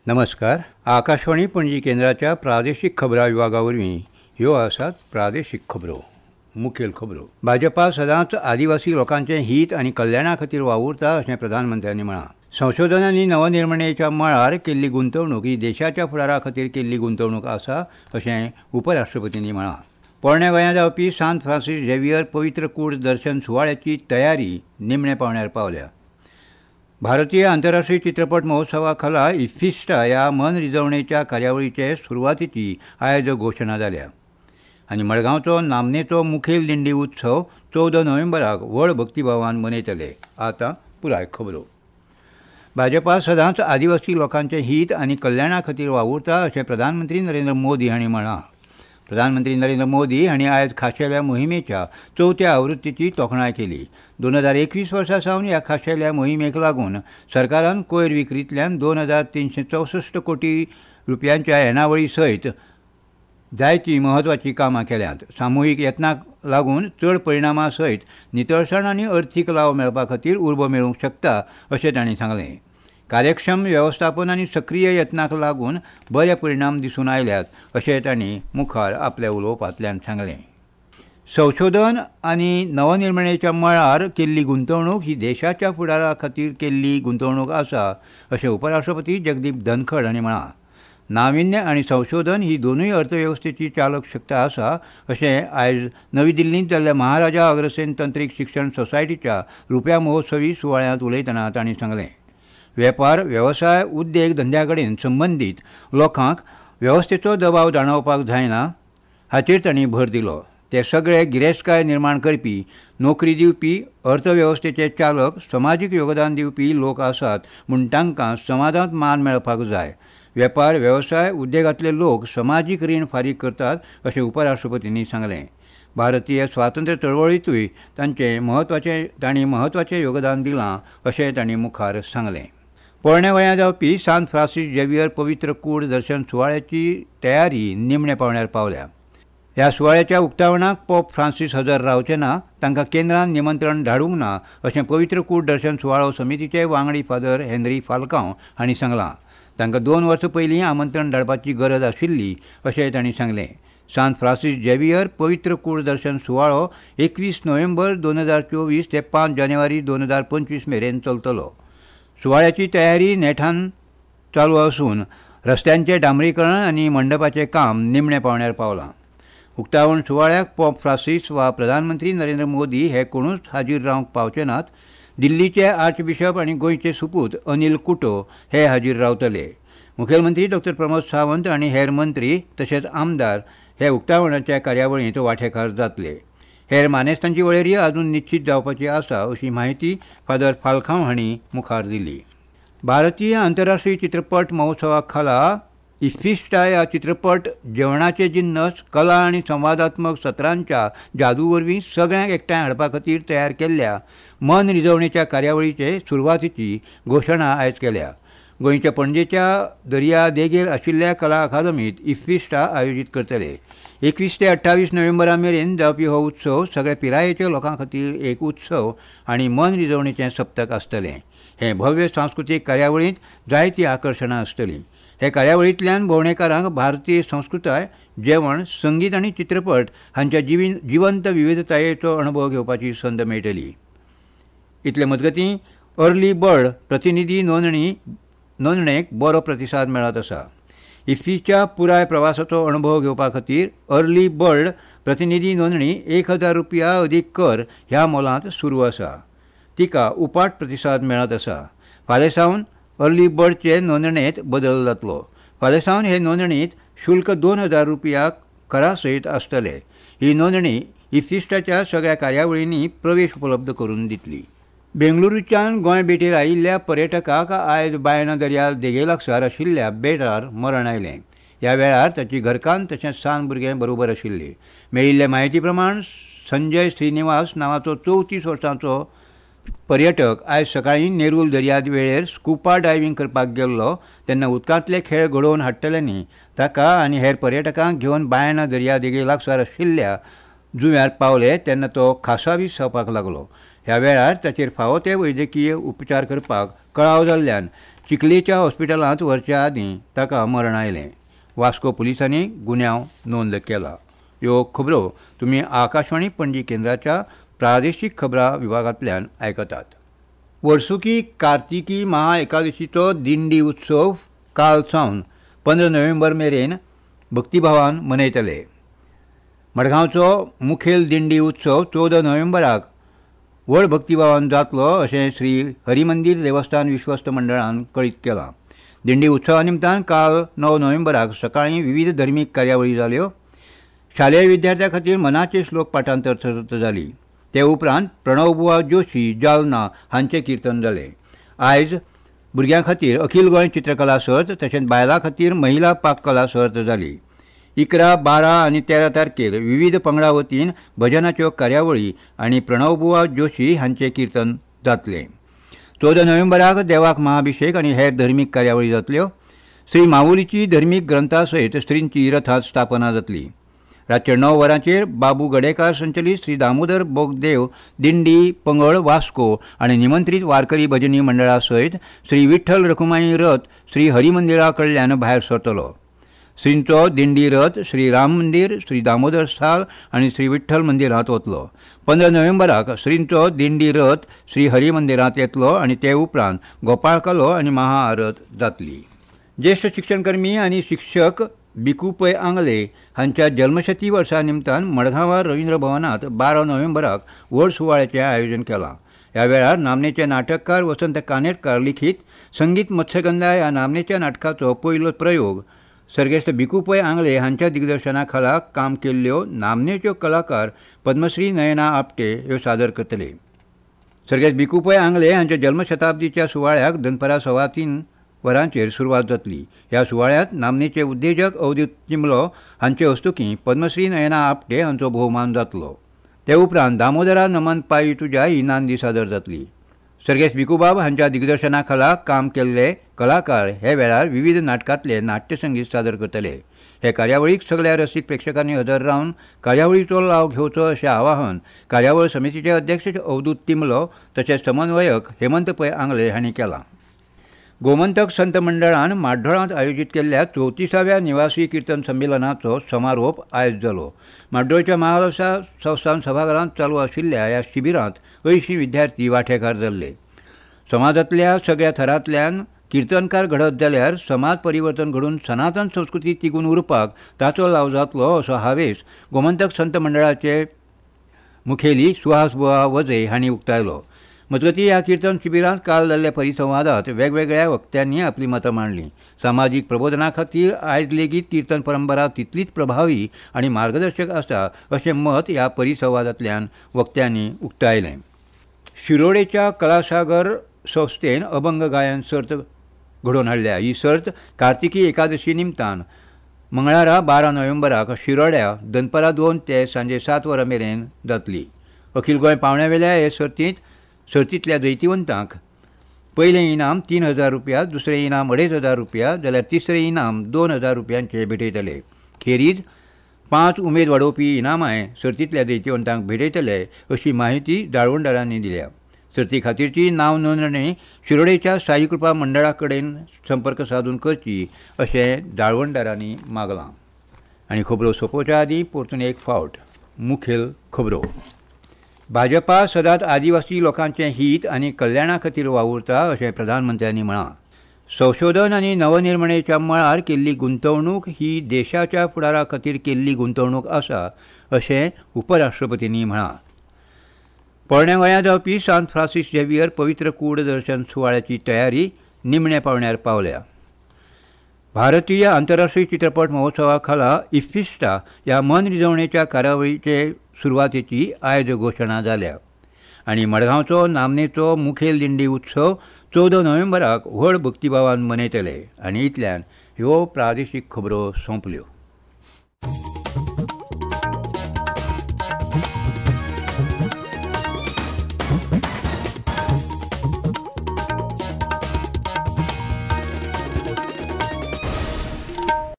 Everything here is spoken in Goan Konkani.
नमस्कार. आकाशवाणी पणजी केंद्राच्या प्रादेशीक खबरां विभागा वरवीं ह्यो आसात प्रादेशीक खबरो. मुखेल खबरो. भाजपा सदांच आदिवासी लोकांचें हीत आनी कल्याणा खातीर वावुरता अशें प्रधानमंत्र्यांनी म्हळां. संशोधन आनी नवनिर्मणेच्या मळार केल्ली गुंतवणूक ही देशाच्या फुडारा खातीर केल्ली गुंतवणूक आसा अशें उपराष्ट्रपतींनी म्हळां. पोरण्या गोंयांत जावपी सांत फ्रांसीस झेवियर पवित्र कूड दर्शन सुवाळ्याची तयारी निमण्या पावंड्यार पावल्या. भारतीय आंतरराष्ट्रीय चित्रपट महोत्सवा खाला इफ्फिस्टा ह्या मनरिजवणेच्या कार्यावळीचे सुरवातीची आयज घोशणा जाल्या. आनी मडगांवचो नामनेचो मुखेल दिंडी उत्सव 14 नोव्हेंबराक व्हड भक्तिभावान मनयतले. आतां पुराय खबरो. भाजपा सदांच आदिवासी लोकांचें हीत आनी कल्याणा खातीर वावुरता अशें प्रधानमंत्री नरेंद्र मोदी हांणी म्हळां. प्रधानमंत्री नरेंद्र मोदी हांणी आयज खाशेल्या मोहिमेच्या चवथ्या आवृत्तीची तोखणाय केली. 2021 वर्सा सावन ह्या खाशेल्या मोहिमेक लागून सरकारान कोयर विक्रींतल्यान 2364 कोटी रुपयांच्या येणावळी सयत जायतीं म्हत्वाचीं कामां केल्यांत. सामुहीक यत्नाक लागून चड परिणामा सयत नितळसाण आनी अर्थीक लाव मेळपा खातीर उर्बा मेळूंक शकता अशें तांणी सांगलें. कार्यक्षम वेवस्थापन आनी सक्रीय यत्नाक लागून बरे परिणाम दिसून आयल्यात अशें तांणी मुखार आपल्या उलोवपांतल्यान सांगलें. संशोधन आनी नवनिर्मणेच्या मळार केल्ली गुंतवणूक ही देशाच्या फुडारा खातीर केल्ली गुंतवणूक आसा अशें उपराष्ट्रपती जगदीप धनखड हांणी म्हळां. नाविन्य आनी संशोधन ही दोनूय अर्थवेवस्थेची चालक शक्त आसा अशें आयज नवी दिल्लींत जाल्ल्या महाराजा अग्रसेन तंत्रीक शिक्षण सोसायटीच्या रुप्या महोत्सवी सुवाळ्यांत उलयतना तांणी सांगलें. वेपार, वेवसाय, उद्देग धंद्या कडेन संबंदीत लोकांक वेवस्थेचो दबाव जाणवपाक जायना हाचेर तांणी भर दिलो. ते सगळे गिरेस्तकाय निर्माण करपी, नोकरी दिवपी, अर्थवेवस्थेचे चालक, समाजीक योगदान दिवपी लोक आसात म्हूण तांकां समाजांत मान मेळपाक जाय. वेपार, वेवसाय, उद्देगांतले लोक समाजीक रीण फारीक करतात अशें उपराष्ट्रपतींनी सांगलें. भारतीय स्वातंत्र्य चळवळींतूय तांणी म्हत्वाचें योगदान दिलां अशें तांणी मुखार सांगलें. पोरण्या गोंयांत जावपी सांत फ्रांसीस झेवियर पवित्र कूड दर्शन सुवाळ्याची तयारी निमण्या पावंड्यार पावल्या. ह्या सुवाळ्याच्या उक्तावणाक पोप फ्रांसीस हजर रावचे ना, तांकां केंद्रान निमंत्रण धाडूंक ना अशें पवित्र कूड दर्शन सुवाळो समितीचे वांगडी फादर हेनरी फाल्कांव हांणी सांगलां. तांकां 2 वर्सां पयलीं आमंत्रण धाडपाची गरज आशिल्ली अशें तांणी सांगलें. सांत फ्रांसीस झेवियर पवित्र कूड दर्शन सुवाळो 21 नोव्हेंबर 2024 ते 5 जानेवारी 2025 मेरेन चलतलो. सुवाळ्याची तयारी नेटान चालू आसून रस्त्यांचें डांबरीकरण आनी मंडपाचें काम निमण्या पावंड्यार पावलां. उक्तावण सुवाळ्याक पोप फ्रांसीस वा प्रधानमंत्री नरेंद्र मोदी हे कोणूच हाजीर रावंक पावचे नात. दिल्लीचे आर्चबिशप आनी गोंयचे सुपूत अनिल कुटो हे हाजीर रावतले. मुखेलमंत्री डॉ. प्रमोद सावंत आनी हेर मंत्री तशेंच आमदार हे उक्तावणाच्या कार्यावळींत वांटेकार जातले. हेर मानेस्तांची वळेरी अजून निश्चीत जावपाची आसा अशी म्हायती फादर फाल्कांव हांणी मुखार दिली. भारतीय आंतरराष्ट्रीय चित्रपट महोत्सवा खाला इफ्फिस्टा ह्या चित्रपट जेवणाचे जिन्नस, कला आनी संवादात्मक सत्रांच्या जादू वरवीं सगळ्यांक एकठांय हाडपा खातीर तयार केल्ल्या मनरिजवणेच्या कार्यावळीचे सुरवातीची घोशणा आयज केल्या. गोंयच्या पणजेच्या दर्या देगेर आशिल्ल्या कला अकादमीत इफ्फिस्टा आयोजीत करतले. 21 ते 28 नोव्हेंबरा मेरेन जावपी हो उत्सव सगळ्या पिरायेच्या लोकां खातीर एक उत्सव आनी मनरिजवणेचें सप्तक आसतलें. हे भव्य सांस्कृतीक कार्यावळींत जायतीं आकर्शणां आसतलीं. हे कार्यावळींतल्यान भोंवडेकारांक भारतीय संस्कृताय, जेवण, संगीत आनी चित्रपट हांच्या जिवंत विविधतायेचो अणभव घेवपाची संद मेळटली. इतले मजगतीं अर्ली बर्ड प्रतिनिधी नोंदणेक बरो प्रतिसाद मेळत आसा. इफ्फीच्या पुराय प्रवासाचो अणभव घेवपा खातीर अर्ली बर्ड प्रतिनिधी नोंदणी 1000 रुपया अदीक कर ह्या मोलांत सुरू आसा. तिका उपाट प्रतिसाद मेळत आसा. फाल्यां सावन अर्ली बर्डचे नोंदणेंत बदल जातलो. फाल्यां सावन हे नोंदणींत शुल्क 2000 रुपया करा सयत आसतले. ही नोंदणी इफ्फिस्टाच्या सगळ्या कार्यावळींनी प्रवेश उपलब्ध करून दितली. बेंगळुरूच्यान गोंय भेटेर आयिल्ल्या पर्यटकाक आयज बायणा दर्या देगे लागसार आशिल्ल्या बेटार मरण आयलें. ह्या वेळार ताची घरकान्न तशेंच सान भुरगें बरोबर आशिल्ली. मेळिल्ले म्हायती प्रमाण संजय श्रीनिवास नांवाचो 34 वर्सांचो पर्यटक आयज सकाळीं नेरूल दर्यावेळेर स्कुपा डायव्हींग करपाक गेल्लो तेन्ना उदकांतले खेळ घडोवन हाडटल्यांनी ताका आनी हेर पर्यटकांक घेवन बायणा दर्या देगे लागसार आशिल्ल्या जुंव्यार पावले तेन्ना तो खासावीस जावपाक लागलो. ह्या वेळार ताचेर फावो ते वैजकीय उपचार करपाक कळाव जाल्ल्यान चिखलेच्या हॉस्पिटलांत व्हरच्या आदीं ताका मरण आयलें. वास्को पुलिसांनी गुन्यांव नोंद केला. ह्यो खबरो तुमी आकाशवाणी पणजी केंद्राच्या प्रादेशीक खबरां विभागांतल्यान आयकतात. वर्सुकी कार्तिकी महाएकादशीचो दिंडी उत्सव काल सावन 15 नोव्हेंबर मेरेन भक्तिभावान मनयतले. मडगांवचो मुखेल दिंडी उत्सव 14 नोव्हेंबराक व्हड भक्तिभावान जातलो अशें श्री हरिमंदीर देवस्थान विश्वस्त मंडळान कळीत केलां. दिंडी उत्सवा निमतान काल 9 नोव्हेंबराक सकाळीं विविध धर्मीक कार्यावळी जाल्यो. शालेय विद्यार्थ्यां खातीर मनाचे श्लोक पाठांतर सर्त जाली. ते उपरांत प्रणवबुवा जोशी जालना हांचें किर्तन जालें. आयज भुरग्यां खातीर अखिल गोंय चित्रकला सर्त तशेंच बायलां खातीर महिला पाककला सर्त जाली. 11, 12 आनी 13 तारखेर विविध पंगडा वतीन भजनाच्यो कार्यावळी आनी प्रणवबुवा जोशी हांचें किर्तन जातलें. 14 नोव्हेंबराक देवाक महाभिशेक आनी हेर धर्मीक कार्यावळी जातल्यो. श्री माऊलीची धर्मीक ग्रंथा सयत श्रींची रथांत स्थापना जातली. रातच्या 9 वरांचेर बाबू गडेकार संचलीत श्री दामोदर बोगदेव दिंडी पंगड वास्को आनी निमंत्रीत वारकरी भजनी मंडळा सयत श्री विठ्ठल रखुमाई रथ श्री हरिमंदिरा कडल्यान भायर सरतलो. श्रींचो दिंडी रथ श्री राम मंदीर, श्री दामोदर साल आनी श्री विठ्ठल मंदिरांत वतलो. 15 नोव्हेंबराक श्रींचो दिंडी रथ श्री हरिमंदिरांत येतलो आनी ते उपरांत गोपाळकालो आनी महाआरत जातली. ज्येश्ठ शिक्षणकर्मी आनी शिक्षक भिकू पै आंगले हांच्या जल्मशती वर्सा निमतान मडगांवां रवींद्र भवनांत 12 नोव्हेंबराक व्हड सुवाळ्याचें आयोजन केलां. ह्या वेळार नामनेचे नाटककार वसंत कानेटकार लिखीत संगीत मत्स्यगंधा ह्या नामनेच्या नाटकाचो पयलो प्रयोग सर्गेस्त भिकू पै आंगले हांच्या दिग्दर्शना खाला काम केल्ल्यो नामनेच्यो कलाकार पद्मश्री नयना आपटे ह्यो सादर करतले. सर्गेस्त भिकू पै आंगले हांच्या जल्मशताब्दीच्या सुवाळ्याक दनपारां 3:15 वरांचेर सुरवात जातली. ह्या सुवाळ्यांत नामनेचे उद्देजक अवधूत चिमलो हांचे हस्तुकीं पद्मश्री नयना आपटे हांचो भोवमान जातलो. ते उपरांत दामोदरा नमन पायी तुज्या ही नांदी सादर जातली. सर्गेस्त भिकूबाब हांच्या दिग्दर्शना खाला काम केल्ले कलाकार हे वेळार विविध नाटकांतले नाट्यसंगीत सादर करतले. हे कार्यावळीक सगल्या रसीक प्रेक्षकांनी हजर रावन कार्यावळीचो लाव घेवचो अशें आवाहन कार्यावळ समितीचे अध्यक्ष अवधूत तिमलो तशेंच समन्वयक हेमंत पै आंगले हांणी केलां. गोमंतक संत मंडळान माड्डोळांत आयोजीत केल्ल्या 34व्या निवासी किर्तन संमेलनाचो समारोप आयज जालो. माड्डोळच्या महालसा संस्थान सभाघरांत चालू आशिल्ल्या ह्या शिबिरांत 80 विद्यार्थी वांटेकार जाल्ले. समाजांतल्या सगळ्या थरांतल्यान किर्तनकार घडत जाल्यार समाज परिवर्तन घडून सनातन संस्कृती तिगून उरपाक ताचो लाव जातलो असो हावेस गोमंतक संत मंडळाचे मुखेली सुहास बुवा वझे हांणी उक्तायलो. मजगतीं ह्या किर्तन शिबिरांत काल जाल्ल्या परिसंवादांत वेगवेगळ्या वक्त्यांनी आपली मतां मांडलीं. सामाजीक प्रबोधना खातीर आयज लेगीत किर्तन परंपरा तितलीच प्रभावी आनी मार्गदर्शक आसा अशें मत ह्या परिसंवादांतल्यान वक्त्यांनी उक्तायलें. शिरोडेच्या कलासागर संस्थेन अभंग गायन सर्त घडोवन हाडल्या. ही सर्त कार्तिकी एकादशी निमतान मंगळारा 12 नोव्हेंबराक शिरोड्या दनपारां 2 ते सांजे 7 वरां मेरेन जातली. अखिल गोंय पावण्यावेल्या हे सर्तींतल्या जैतिवंतांक पयलें इनाम 3,000 रुपया, दुसरें इनाम 2,500 रुपया जाल्यार तिसरें इनाम 2,000 रुपयांचे भेटयतले. खेरीज 5 उमेद वाडोवपी इनामांय सर्तींतल्या जैतिवंतांक भेटयतले अशी माहिती जाळवणदारांनी दिल्या. सर्ती खातीरची नांव नोंदणी शिरोडेच्या साईकृपा मंडळा कडेन संपर्क सादून करची अशें जाळवणदारांनी मागलां. आनी खबरो सोंपोवच्या आदीं परतून एक फावट मुखेल खबरो. भाजपा सदांच आदिवासी लोकांचें हीत आनी कल्याणा खातीर वावुरता अशें प्रधानमंत्र्यांनी म्हळां. संशोधन आनी नवनिर्मणेच्या मळार केल्ली गुंतवणूक ही देशाच्या फुडारा खातीर केल्ली गुंतवणूक आसा अशें उपराष्ट्रपतींनी म्हळां. पोरण्या गोंयांत जावपी सांत फ्रांसीस झेवियर पवित्र कूड दर्शन सुवाळ्याची तयारी निमण्या पावण्यार पावल्या. भारतीय आंतरराष्ट्रीय चित्रपट महोत्सवा खाला इफ्फिस्टा ह्या मनरिजवणेच्या कार्यावळीचे सुरवातेची आयज घोशणा जाल्या. आनी मडगांवचो नामनेचो मुखेल दिंडी उत्सव 14 नोव्हेंबराक व्हड भक्तिभावान मनयतले. आनी इतल्यान ह्यो प्रादेशीक खबरो सोंपल्यो.